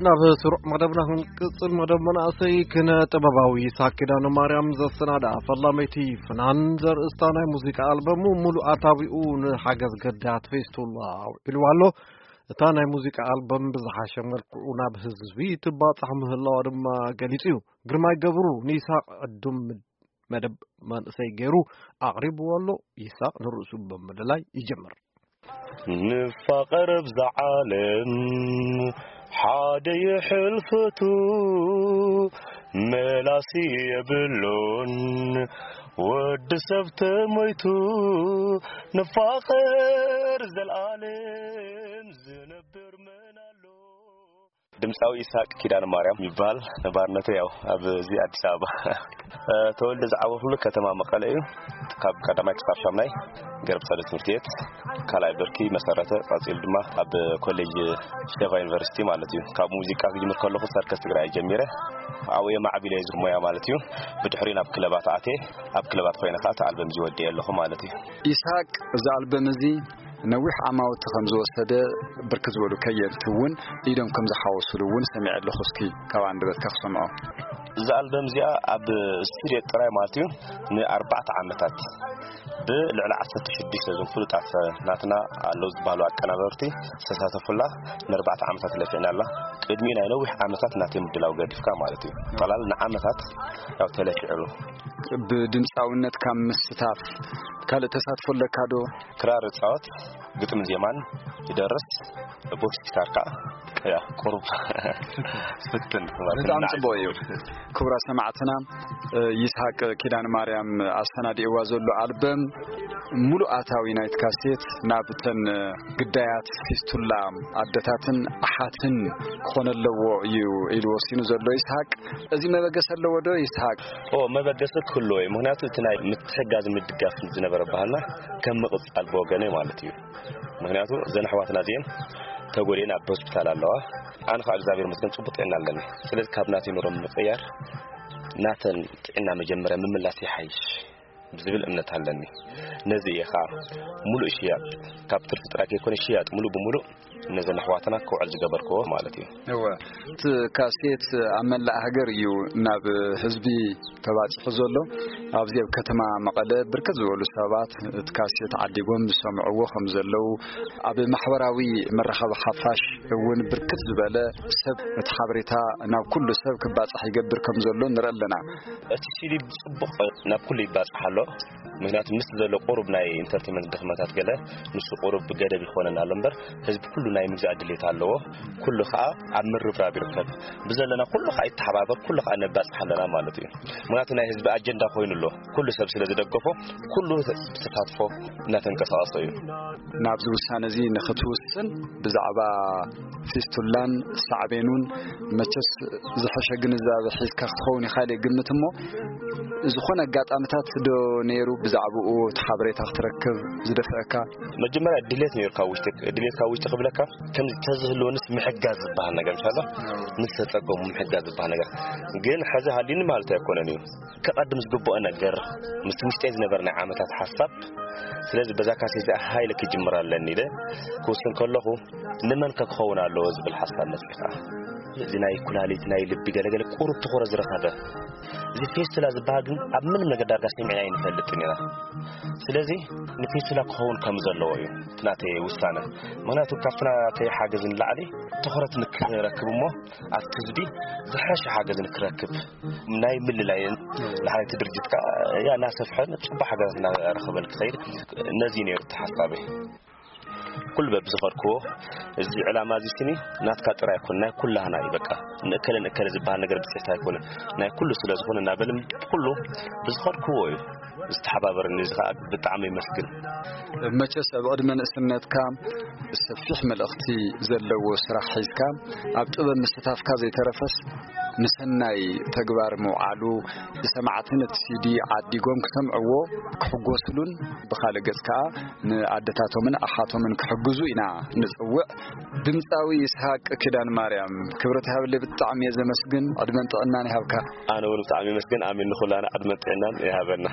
ናብ ስሩዕ መደብና ክንቅጽል፣ መደብ መናእሰይ ክነ ጥበባዊ ይስሓቅ ኪዳነ ማርያም ዘሰናዳ ፈላመይቲ ፍናን ዘርእስታ ናይ ሙዚቃ ኣልበሙ ሙሉእ ኣታዊኡ ንሓገዝ ገዳያት ፌስቱላ ኣውዒሉ ኣሎ። እታ ናይ ሙዚቃ ኣልበም ብዝሓሸ መልክዑ ናብ ህዝቢ ትባጻሕ ምህላዋ ድማ ገሊጹ እዩ። ግርማይ ገብሩ ንይስሓቅ ዕዱም መደብ መንእሰይ ገይሩ ኣቕሪብዎ ኣሎ። ይስሓቅ ንርእሱ ብምልላይ ይጀምር። ንፋቐር ኣብዛ ዓለም ሓደ ይሕልፈቱ፣ መላሲ የብሉን ወዲ ሰብ ተሞይቱ። ንፋቐር ዘልኣለም ዝነብር መን ኣሎ? ድምፃዊ ይስሓቅ ኪዳነ ማርያም ይበሃል። ነባርነቱ ያው ኣብዚ ኣዲስ ኣበባ። ተወልደ ዝዓበኹሉ ከተማ መቐለ እዩ። ካብ ቀዳማይ ክሳብ ሻምናይ ገረብ ሰደ ትምህርቲ ቤት፣ ካልኣይ ብርኪ መሰረተ፣ ቀፂሉ ድማ ኣብ ኮሌጅ ሸቫ ዩኒቨርሲቲ ማለት እዩ። ካብ ሙዚቃ ክጅምር ከለኹ ሰርከስ ትግራይ ጀሚረ፣ ኣብኡ የማዕቢለ እዚ ሞያ ማለት እዩ። ብድሕሪ ናብ ክለባት ኣትየ፣ ኣብ ክለባት ኮይነ ከዓ እቲ ኣልበም እዚ ወዲኤ ኣለኹ ማለት እዩ። ይስሓቅ፣ እዚ ኣልበም እዚ ነዊሕ ዓማውቲ ከም ዝወሰደ ብርክት ዝበሉ ከየንቲ እውን ኢዶም ከም ዝሓወሱሉ እውን ሰሚዐ ኣለኹ። እስኪ ካብ ኣንደበትካ ክሰምዖ። እዛ ኣልበም እዚኣ ኣብ ስቱድዮ ጥራይ ማለት እዩ ንኣርባዕተ ዓመታት ብልዕሊ ዓሰርተ ሽዱሽተ እዞም ፍሉጣት ናትና ኣለዉ ዝበሃሉ ኣቀናበርቲ ዝተሳተፉላ ንኣርባዕተ ዓመታት ለፊዕናላ። ቅድሚኡ ናይ ነዊሕ ዓመታት ናተይ ምድላው ገዲፍካ ማለት እዩ። ጠቕላላ ንዓመታት ያው ተለፊዕሉ። ብድምፃውነት ካብ ምስታፍ ካልእ ተሳትፎ ኣለካ ዶ? ክራር እፃወት፣ ግጥምን ዜማን ይደርስ፣ ቦክስ ጊታር ከዓ ያ ቁሩብ ፍትን ማለት ብጣዕሚ ንዓይ ጽቡቕ እዩ። ክቡራት ሰማዕትና፣ እ፣ ይስሓቅ ኪዳነ ማርያም ኣሰናዲእዋ ዘሎ ኣልበም ሙሉእ ኣታዊ ናይቲ ካሴት ናብተን ግዳያት ፊስቱላ ኣደታትን ኣሓትን ክኾነ ኣለዎ እዩ ኢሉ ወሲኑ ዘሎ ይስሓቅ። እዚ መበገሲ ኣለዎ ዶ ይስሓቅ? ኦ፣ መበገሲ ክህልዎ እዩ። ምኽንያቱ እቲ ናይ ምትሕጋዝ ምድጋፍ ዝነበረ ባህልና ከም ምቕጻል ብወገነይ ማለት እዩ። ምኽንያቱ እዘን ኣሕዋትና እዚአን ተጎድኤን ኣብ ሆስፒታል ኣለዋ። ኣነ ከዓ እግዚኣብሔር ይመስገን ጽቡቅ ጥዕና ኣለኒ። ስለዚ ካብ ናተይ ኑሮ ምቅያር ናተን ጥዕና መጀመርያ ምምላስ ይሓይሽ ዝብል እምነት ኣለኒ። ነዚ እየ ከዓ ሙሉእ ሽያጥ፣ ካብ ትርፊ ጥራይ ከይኮነ ሽያጥ ሙሉእ ብሙሉእ ነዘን ኣሕዋትና ክውዕል ዝገበርክዎ ማለት እዩ። እወ፣ እቲ ካሴት ኣብ መላእ ሃገር እዩ ናብ ህዝቢ ተባፂሑ ዘሎ። ኣብዚ ኣብ ከተማ መቐለ ብርክት ዝበሉ ሰባት እቲ ካሴት ዓዲጎም ዝሰምዕዎ ከም ዘለዉ፣ ኣብ ማሕበራዊ መራኸቢ ሓፋሽ እውን ብርክት ዝበለ ሰብ እቲ ሓበሬታ ናብ ኩሉ ሰብ ክባፃሕ ይገብር ከም ዘሎ ንርኢ ኣለና። እቲ ሲዲ ብጽቡቕ ናብ ኩሉ ይባጻሕ ኣሎ። ምኽንያቱ ምስ ዘሎ ቁሩብ ናይ ኢንተርቴንመንት ድኽመታት ገለ፣ ንሱ ቁሩብ ገደብ ይኾነና ኣሎ እምበር፣ ህዝቢ ኩሉ ናይ ምግዛእ ድሌት ኣለዎ። ኩሉ ኸኣ ኣብ ምርብራብ ይርከብ። ብዘለና ኩሉ ኸኣ ይተሓባበር፣ ኩሉ ኸኣ ነባጽሕ ኣለና ማለት እዩ። ምኽንያቱ ናይ ህዝቢ ኣጀንዳ ኮይኑ ኣሎ። ኩሉ ሰብ ስለ ዝደገፎ፣ ኩሉ ብተሳትፎ እናተንቀሳቐሰ እዩ። ናብዚ ውሳነ እዚ ንኽትውስን ብዛዕባ ፊስቱላን ሳዕቤኑን መቸስ ዝሐሸ ግንዛበ ሒዝካ ክትኸውን ኢኻ ኢለ ይግምት። እሞ ዝኾነ ኣጋጣምታት ዶ ነይሩ ብዛዕባኡ እቲ ሓበሬታ ክትረክብ ዝደፍአካ? መጀመርያ ድሌት ነይሩ ካብ ውሽጢ፣ ድሌት ካብ ውሽጢ ክብለካ፣ ከምዚ ተዝህልወንስ ምሕጋዝ ዝበሃል ነገር፣ ምሻሎ፣ ምስ ተጸገሙ ምሕጋዝ ዝበሃል ነገር። ግን ሕዚ ሃልዩኒ ማለት ኣይኮነን እዩ። ከቐድም ዝግብኦ ነገር፣ ምስቲ ውሽጠይ ዝነበረ ናይ ዓመታት ሓሳብ፣ ስለዚ በዛ ካሴት እዚኣ ሃይለ ክጅምር ኣለኒ ኢለ ክውስን ከለኹ፣ ንመን ከ ክኸውን ኣለዎ ዝብል ሓሳብ መጺኻ። እዚ ናይ ኩላሊት፣ ናይ ልቢ ገለገለ ቁሩብ ትኹረት ዝረኸበ። እዚ ፌስቱላ ዝበሃል ግን ኣብ ምንም ነገር ዳርጋ ሰሚዕና ኣይንፈልጥን ኢና። ስለዚ ንፌስቱላ ክኸውን ከም ዘለዎ እዩ እቲ ናተይ ውሳነ። ምኽንያቱ ካብቲ ናተይ ሓገዝ ንላዕሊ ትኹረት ንክረክብ እሞ ኣብቲ ህዝቢ ዝሐሸ ሓገዝ ንክረክብ ናይ ምልላይን ንሓንቲ ድርጅት ከኣ ያ እናሰፍሐን ጽቡቅ ሓገዛት እናረኸበን ክኸይድ ነዚ ነይሩ እቲ ሓሳበይ። ኩሉ በብዝኸድክዎ እዚ ዕላማ እዚ ስኒ ናትካ ጥራይ ኣይኮነ፣ ናይ ኩላህና እዩ። በቃ ንእከለ ንእከለ ዝበሃል ነገር ብጽሕቲ ኣይኮነ፣ ናይ ኩሉ ስለ ዝኾነ እናበልን ኩሉ ብዝኸድክዎ እዩ ዝተሓባበረኒ። እዚ ከኣ ብጣዕሚ ይመስግን። መቸስ ኣብ ዕድመ ንእስነትካ ሰፊሕ መልእኽቲ ዘለዎ ስራሕ ሒዝካ ኣብ ጥበብ ምስታፍካ ዘይተረፈስ ንሰናይ ተግባር ምውዓሉ፣ ሰማዕትን እቲ ሲዲ ዓዲጎም ክሰምዕዎ ክሕጎስሉን ብኻልእ ገጽ ከኣ ንኣደታቶምን ኣሓቶምን ክሕግዙ ኢና ንጽውዕ። ድምጻዊ ይስሃቅ ኪዳን ማርያም፣ ክብረት ይሃበለይ፣ ብጣዕሚ እየ ዘመስግን። ዕድመን ጥዕናን ይሃብካ። ኣነ እውን ብጣዕሚ የመስግን። ኣሜን። ንኹላና ዕድመን ጥዕናን ይሃበና።